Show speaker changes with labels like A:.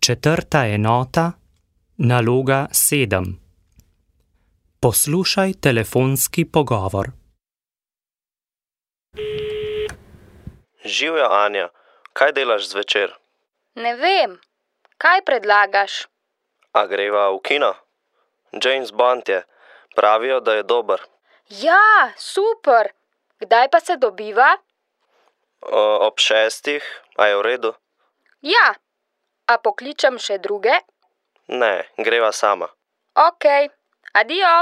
A: Četrta enota, naloga 7. Poslušaj telefonski pogovor.
B: Živjo, Anja, kaj delaš zvečer?
C: Ne vem, kaj predlagaš?
B: A greva v kino? James Bond je, pravijo, da je dober.
C: Ja, super! Kdaj pa se dobiva?
B: Ob 6, a je v redu?
C: Ja, a pokličem še druge?
B: Ne, greva sama.
C: Okej, adijo!